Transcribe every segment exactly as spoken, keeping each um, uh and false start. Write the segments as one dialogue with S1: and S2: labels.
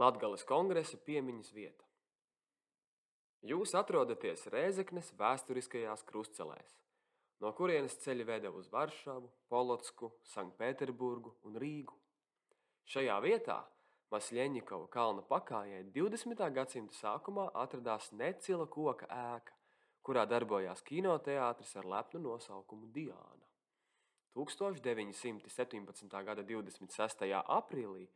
S1: Latgales kongresa piemiņas vieta. Jūs atrodaties Rēzeknes vēsturiskajās krustcelēs, no kurienes ceļi veda uz Varšavu, Polotsku, Sanktpēterburgu un Rīgu. Šajā vietā Masļeņikova kalna pakājē divdesmitā gadsimta sākumā atradās necila koka ēka, kurā darbojās kinoteātris ar lepnu nosaukumu Diāna. tūkstoš deviņi simti septiņpadsmitā gada divdesmit sestajā aprīlī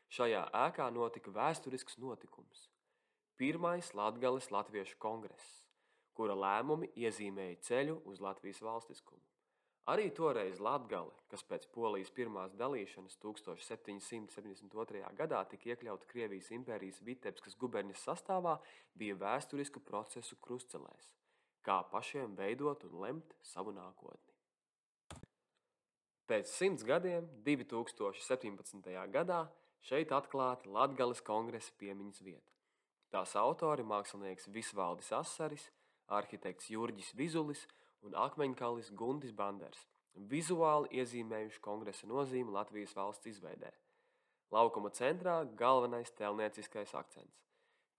S1: šajā ēkā notika vēsturisks notikums – pirmais Latgales latviešu kongress, kura lēmumi iezīmēja ceļu uz Latvijas valstiskumu. Arī toreiz Latgale, kas pēc Polijas pirmās dalīšanas tūkstoš septiņi simti septiņdesmit otrajā gadā tika iekļauta Krievijas impērijas Vitebskas guberņas sastāvā, bija vēsturisku procesu krustcelēs, kā pašiem veidot un lemt savu nākotni. Pēc simts gadiem, divi tūkstoši septiņpadsmitajā gadā, šeit atklāta Latgales kongresa piemiņas vieta. Tās autori mākslinieks Visvaldis Asaris, arhitekts Jurģis Vizulis un akmeņkalis Guntis Banders, vizuāli iezīmējuši kongresa nozīmi Latvijas valsts izveidē. Laukuma centrā galvenais tēlnieciskais akcents.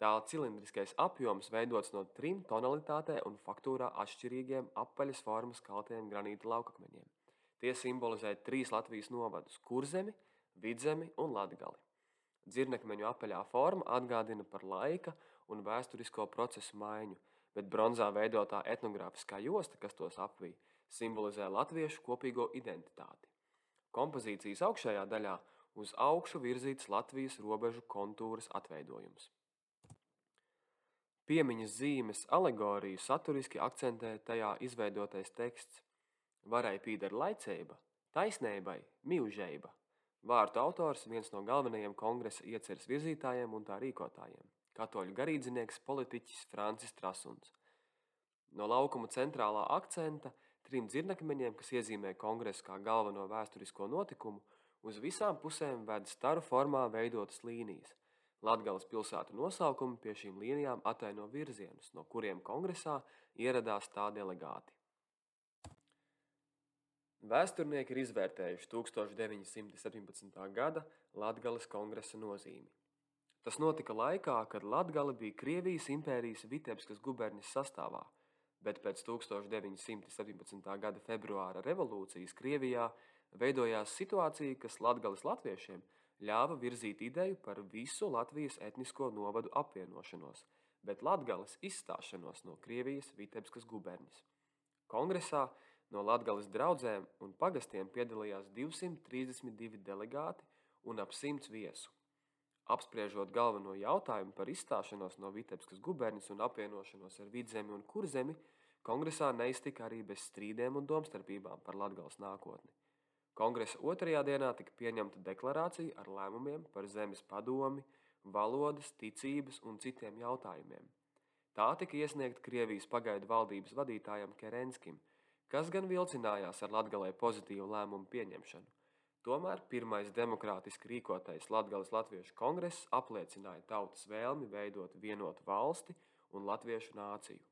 S1: Tā cilindriskais apjoms veidots no trim tonalitātē un faktūrā atšķirīgiem apaļas formas kaltiem granīta laukakmeņiem. Tie simbolizē trīs Latvijas novadus – Kurzemi, Vidzemi un Latgali. Dzirnekmeņu apaļā forma atgādina par laika un vēsturisko procesu maiņu, bet bronzā veidotā etnogrāfiskā josta, kas tos apvij, simbolizē latviešu kopīgo identitāti. Kompozīcijas augšējā daļā uz augšu virzīts Latvijas robežu kontūras atveidojums. Piemiņas zīmes alegoriju saturiski akcentē tajā izveidotais teksts. Varai pīdar laiceiba, taisneibai mīužeiba. Vārtu autors viens no galvenajiem kongresa ieceres virzītājiem un tā rīkotājiem – katoļu garīdznieks politiķis Francis Trasuns. No laukuma centrālā akcenta trim dzirnekmeņiem, kas iezīmē kongresu kā galveno vēsturisko notikumu, uz visām pusēm ved staru formā veidotas līnijas. Latgales pilsētu nosaukumi pie šīm līnijām ataino virzienus, no kuriem kongresā ieradās tā delegāti. Vēsturnieki ir izvērtējuši tūkstoš deviņi simti septiņpadsmitā gada Latgales kongresa nozīmi. Tas notika laikā, kad Latgale bija Krievijas impērijas Vitebskas guberņas sastāvā, bet pēc tūkstoš deviņi simti septiņpadsmitā gada februāra revolūcijas Krievijā veidojās situācija, kas Latgales latviešiem ļāva virzīt ideju par visu Latvijas etnisko novadu apvienošanos, bet Latgales izstāšanos no Krievijas Vitebskas guberņas. Kongresā no Latgales draudzēm un pagastiem piedalījās divsimt trīsdesmit divi delegāti un ap simts viesu. Apspriežot galveno jautājumu par izstāšanos no Vitebskas guberņas un apvienošanos ar Vidzemi un Kurzemi, kongresā neiztika arī bez strīdiem un domstarpībām par Latgales nākotni. Kongresa otrajā dienā tika pieņemta deklarācija ar lēmumiem par zemes padomi, valodas, ticības un citiem jautājumiem. Tā tika iesniegta Krievijas pagaidu valdības vadītājam Kerenskim, kas gan vilcinājās ar Latgalē pozitīvu lēmumu pieņemšanu. Tomēr pirmais demokrātiski rīkotais Latgales latviešu kongress apliecināja tautas vēlmi veidot vienotu valsti un latviešu nāciju.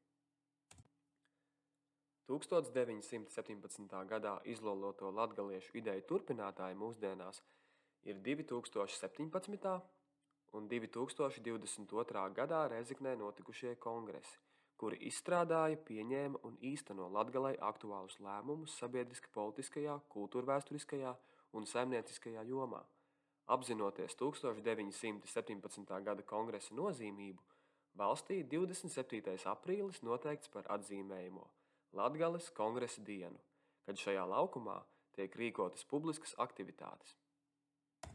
S1: tūkstoš deviņi simti septiņpadsmitā gadā izloloto latgaliešu ideju turpinātāji mūsdienās ir divi tūkstoši septiņpadsmitā un divi tūkstoši divdesmit otrā gadā Rēzeknē notikušie kongresi, kuri izstrādāja, pieņēma un īsteno Latgalei aktuālus lēmumus sabiedriski politiskajā, kultūrvēsturiskajā un saimnieciskajā jomā. Apzinoties tūkstoš deviņi simti septiņpadsmitā gada kongresa nozīmību, valstī divdesmit septītais aprīlis noteikts par atzīmējamo Latgales kongresa dienu, kad šajā laukumā tiek rīkotas publiskas aktivitātes.